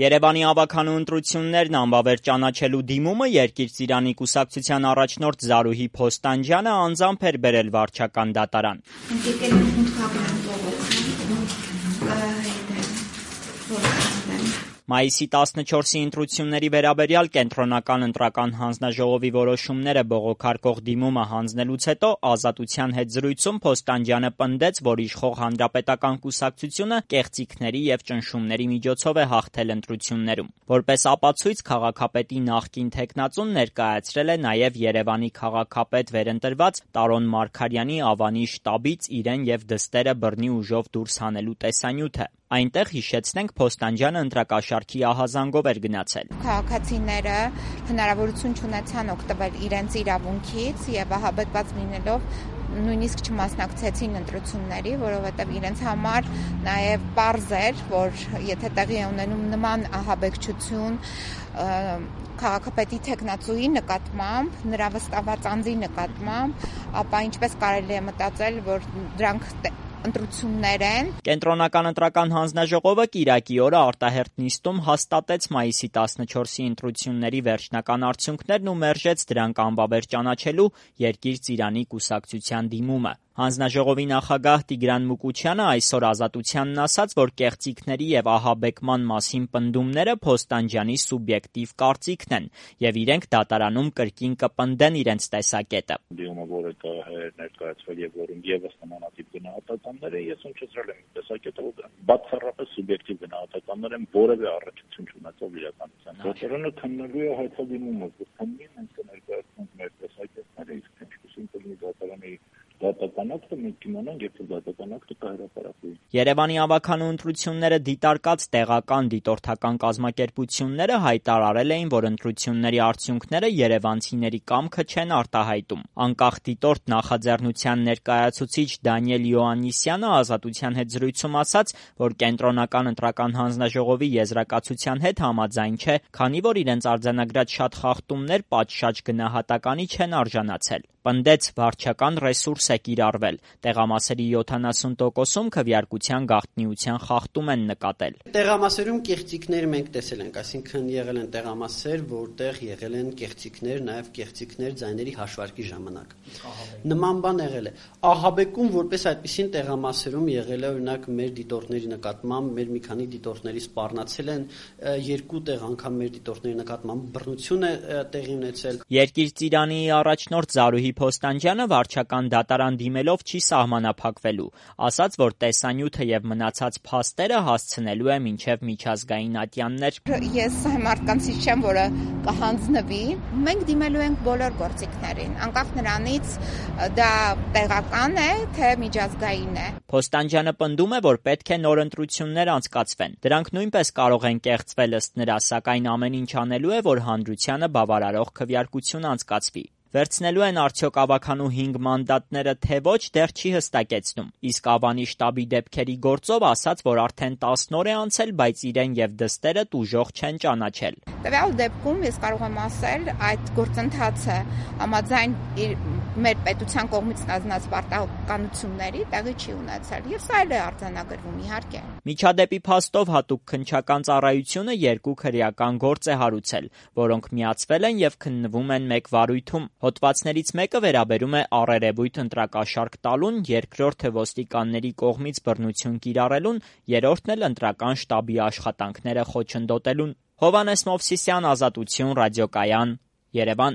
Երևանի ավագանու ընտրություններն անվավեր ճանաչելու դիմումը Երկիր Ծիրանի կուսակցության առաջնորդ Զարուհի Փոստանջյանը անձամբ էր բերել վարչական դատարան։ Մայիսի 14-ի ընտրությունների վերաբերյալ կենտրոնական ընտրական հանձնաժողովի որոշումները բողոքարկող դիմումը հանձնելուց հետո Ազատության հետ զրույցում Փոստանջյանը պնդեց, որ իշխող Հանրապետական կուսակցությունը կեղծիքների եւ ճնշումների միջոցով է հաղթել ընտրություններում։ Որպես ապացույց քաղաքապետի նախկին թեկնածուն ներկայացրել է նաեւ Երևանի քաղաքապետ վերընտրված Տարոն Մարգարյանի Ավանի շտաբից իրեն եւ դստերը բռնի ուժով դուրս հանելու տեսանյութը։ Այնտեղ, հիշեցնենք, Փոստանջյանը ընտրակաշառքի ահազանգով էր գնացել։ Քաղաքացիները հնարավորություն չունեցան օգտվել իրենց իրավունքից եւ ահաբեկված լինելով նույնիսկ չմասնակցեցին ընտրությունների, որովհետեւ իրենց համար նաեւ պարզ էր, որ եթե տեղի է ունենում նման ահաբեկչություն քաղաքապետի թեկնածուի նկատմամբ, նրա վստահված անձի նկատմամբ, ապա ինչպես կարելի է մտածել, որ դրանք ընտրություններ են։ Կենտրոնական ընտրական հանձնաժողովը կիրակի օրը արտահերթ նիստում հաստատեց մայիսի 14-ի ընտրությունների վերջնական արդյունքներն ու մերժեց դրանք անվավեր ճանաչելու Երկիր Ծիրանի կուսակցության դիմումը։ Հանձնաժողովի նախագահ Տիգրան Մուկուչյանը այսօր Ազատությանն ասաց, որ կեղծիքների եւ ահաբեկման մասին պնդումները Փոստանջյանի սուբյեկտիվ կարծիքն են եւ իրենք դատարանում կրկին կպնդեն իրենց տեսակետը։ Դիմումը, որը ներկայացվել եւ որում եւս նմանատիպ գնահատականներ են, ես հնչեցրել եմ տեսակետը, որ բացառապես սուբյեկտիվ գնահատականներ են, որևէ առնչություն չունեցող իրականության։ Դատարանը քննելու է հայտարարումը, որ քննին մենք կներկայացնենք մեր տեսակետները, իսկ ինչպեսին կլինի դատարանի դատականակը, մենք կիմանանք, երբ դատականակը կհրապարակվի։ Երևանի ավագանու ընտրությունները դիտարկած տեղական դիտորդական կազմակերպությունները հայտարարել էին, որ ընտրությունների արդյունքները երևանցիների կամքը չեն արտահայտում։ Անկախ դիտորդ նախաձեռնության ներկայացուցիչ Դանիել Յոաննիսյանը Ազատության հետ զրույցում ասաց, որ կենտրոնական ընտրական հանձնաժողովի եզրակացության հետ համաձայն չէ, քանի որ իրենց արձանագրած շատ խախտումներ պատշաճ գնահատականի չեն արժանացել։ Պնդեց, վարչական ռեսուրս է կիրառվել։ Տեղամասերի 70%-ում քվեարկության գաղտնիության խախտում են նկատել։ Տեղամասերում կեղծիքներ մենք տեսել ենք, այսինքն եղել են տեղամասեր, որտեղ եղել են կեղծիքներ, նաև կեղծիքներ ձայների հաշվարկի ժամանակ։ Նման բան եղել է։ Ահաբեկում որպես այդպիսին տեղամասերում եղել է, օրինակ մեր դիտորդների նկատմամբ, մեր մի քանի դիտորդների սպառնացել են, երկու տեղ անգամ մեր դիտորդների նկատմամբ բռնություն է տեղի ունեցել։ Երկիր Ծիրանի առաջնորդ Զարուհի Փոստանջյանը վարչական դատարան դիմելով չի սահմանափակվելու, ասաց, որ տեսանյութը եւ մնացած փաստերը հասցնելու է մինչեւ միջազգային ատյաններ։ Ես մարդկանցից չեմ, որը կհանձնվի, մենք դիմելու ենք բոլոր գործիքներին, անկախ նրանից դա տեղական է, թե միջազգային է։ Փոստանջյանը պնդում է, որ պետք է նոր ընտրություններ անցկացվեն։ Դրանք նույնպես կարող են կեղծվել ըստ նրա, սակայն ամեն ինչ անելու է, որ հանրությանը բավարարող քվեարկություն անցկացվի։ Վերցնելու են արդյոք ավագանու 5 մանդատները, թե ոչ, դեռ չի հստակեցնում։ Իսկ Ավանի շտաբի դեպքերի գործով ասաց, որ արդեն 10 օր է անցել, բայց իրեն եւ դստերը տուժող չեն ճանաչել։ Տվյալ դեպքում ես կարող եմ ասել, այդ գործընթացը համաձայն մեր պետության կողմից ստանձնած պարտականությունների տեղի չի ունեցել, եւ սա էլ է արձանագրվում, իհարկե։ Միջադեպի փաստով հատուկ քննչական ծառայությունը 2 քրեական գործ է հարուցել, որոնք միացվել են եւ քննվում են մեկ վարույթում։ Հոդվածներից մեկը վերաբերում է առերևույթ ընտրակաշառք տալուն, երկրորդը ոստիկանների կողմից բռնություն կիրառելուն, երրորդն էլ ընտրական շտաբի աշխատանքները խոչընդոտելուն։ Հովհաննես Մովսիսյան, Ազատություն, ռադիոկայան, Երևան։